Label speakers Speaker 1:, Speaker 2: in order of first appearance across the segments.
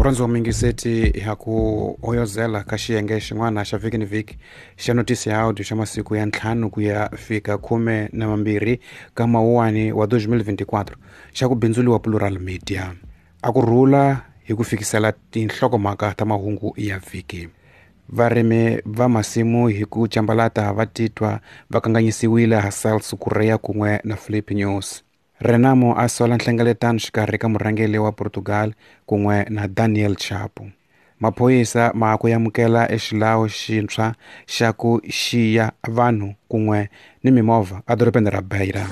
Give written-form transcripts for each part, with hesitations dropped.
Speaker 1: Murhandzi wa mingiseti ha ku hoyozela ka xiyenge xin'wana xa vhiki ni vhiki xa notisi ya audio xa masiku ya 5 ku ya fika 12 ka mawuwani wa 2024 xa ku bindzuliwa Plural Media. A ku rhula hi ku fikisela tinhlokomhaka ta mahungu ya vhiki. Varimi va masimu hi ku cambalata va titwa va kanganyisiwile ha Celso Correia kun'we na Filipe Nyusi. Renamo a sola nhlengeletano xikarhi ka murhangeri wa Portugal kun'we na Daniel Chapo. Maphorisa ma ku amukela exilawu xintshwa xa ku xiya vanhu kun'we ni mimovha edorobeni ra Beira.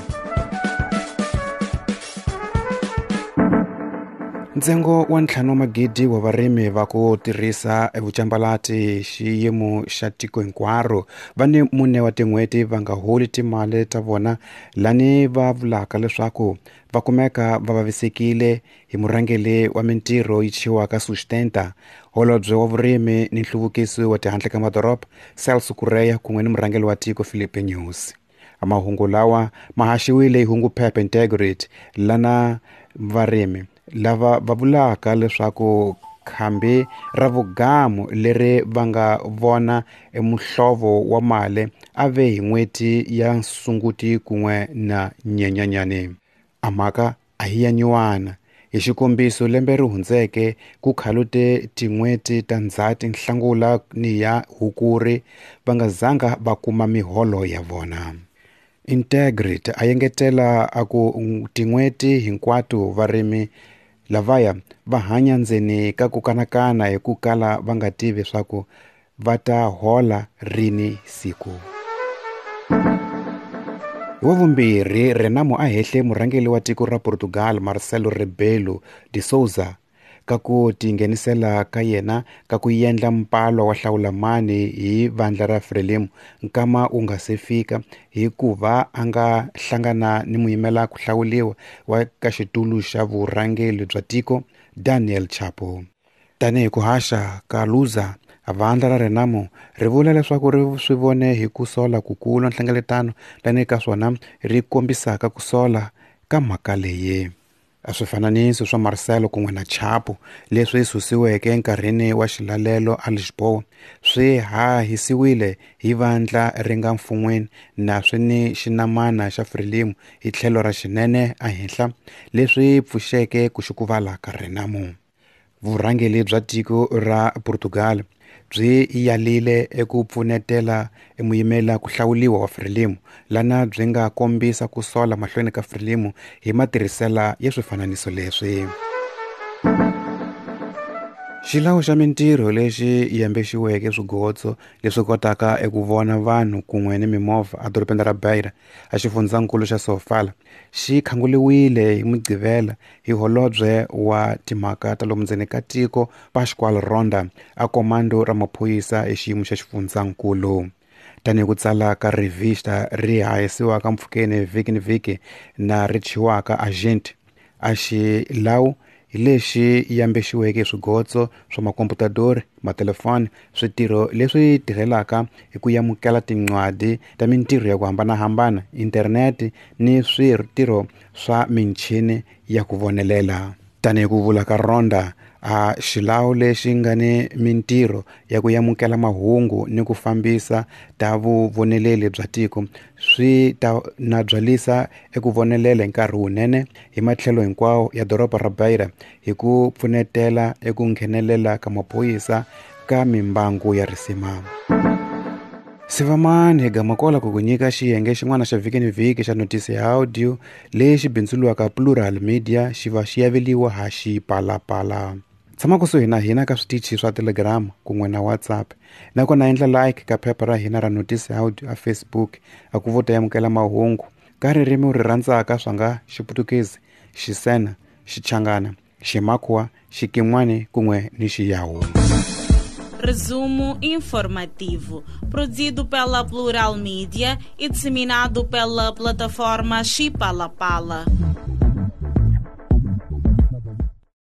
Speaker 1: Ntsengo wa 5 wa wa varimi va ku tirhisa vucambalati xiyimo xa tiko hinkwaro va ni 4 wa tin'hweti va nga holi timali ta vona lani va vulaka leswaku va kumeka va vavisekile hi murhangeri wa mintirho yi thyiwaka Sustenta, holobye wa vurimi ni nhluvukiso wa tihandle ka madoroba Celso Correia kun'we ni murhangeri wa tiko Filipe Nyusi. Mahungu lawa ma haxiwile hi hungu phepha Integrity lana varimi lava va vulaka leswaku khambi ra vugamu leri va nga vona emuhlovo wa mali a ve hi n'hweti ya Sunguti kun'we na Nyenyanyani. A mhaka a hi ya nyuwana. Hi xikombiso lembe ri hundzeke ku khalute tin'hweti ta Ndzhati, Nhlangula ni ya Hukuri va nga zanga va kuma miholo ya vona. Integrity a engetela a ku tin'hweti hinkwato varimi lavaya va hanya ndzeni ka ku kanakana hi ku kala va nga tivi swa ku va ta hola rini siku. Hi wa vumbirhi Renamo a hehle murhangeri wa tiko ra Portugal Marcelo Rebelo de Sousa ka ku tinghenisela ka yena ka ku endla mpalo wa hlawulamani hi vandla ra Frelimo nkama wu nga se fika hikuva a nga hlangana ni muyimela ku hlawuliwa wa ka xitulu xa vurhangeri bya tiko Daniel Chapo. Tanihi ku haxa ka Luza, vandla ra Renamo ri vula leswaku ri swi vone hi ku sola kukulu nhlengeletano lani ka swona ri kombisaka ku sola ka mhaka leyi. A swifananiso swa Marcelo kun'we na Chapo leswi susiweke enkarhini wa xilalelo a Lisboa swi hahisiwile hi vandla ri nga mfun'weni na swi ni xinamana xa Frelimo hi tlhelo ra xinene ehenhla leswi pfuxeke ku xukuvala ka Renamo. Vurhangeri bya tiko ra Portugal byi yalile eku pfunetela emuyimela ku hlawuliwa wa Frelimo lana byi nga kombisa ku sola mahlweni ka Frelimo hi matirhisela ya swifananiso leswi. Xilawu xa mintirho lexi yambexiweke swigotso leswi kotaka eku vona vanhu kun'we ni mimovha edorobeni ra Beira a xifundzankulu xa Sofala xi khanguriwile hi Mugqivela hi holobye wa timhaka ta lomu ndzeni ka tiko Pascoal Ronda a komando ra maphorisa hi xiyimo xa xifundzankulu. Tanihi ku tsala ka revista ri hahisiwaka mpfhukeni vhiki ni vhiki na ri thyiwaka Agent a xilawu hi lexi yambexiweke hi swigotso swa makomputadori, matelefoni, switirho leswi tirhelaka hi ku amukela tincwadi ta mintirho ya ku hambanahambana, internete ni switirho swa michini ya ku vonelela. Tanihi ku vula ka Ronda, a xilawu lexi nga ni mintirho ya ku amukela mahungu ni ku fambisa ta vuvoneleli bya tiko swi ta na byalisa eku vonelela hi nkarhi wunene hi matlhelo hinkwawo ya doroba ra Beira hi ku pfunetela eku nghenelela ka maphorisa ka mimbangu ya risima. Sivamani hi gama kola ku ku nyika xiyenge xin'wana xa vhiki ni vhiki xa notisi ya audio lexi bindzuriwaka Plural Media xi va xi yaveliwa ha Xipalapala. Tshama kusuhi na hina ka switichi swa Telegram kun'we na WhatsApp nakona endla like ka phepha ra hina ra notisi ya audio a Facebook a ku vo ta amukela mahungu ka ririmi u ri rhandzaka swa nga Xiputukezi, Xisena, Xichangana, Ximakhuwa, Xikin'wani kun'we ni Xiyawu.
Speaker 2: Resumo informativo, produzido pela Plural Media e disseminado pela plataforma Xipalapala.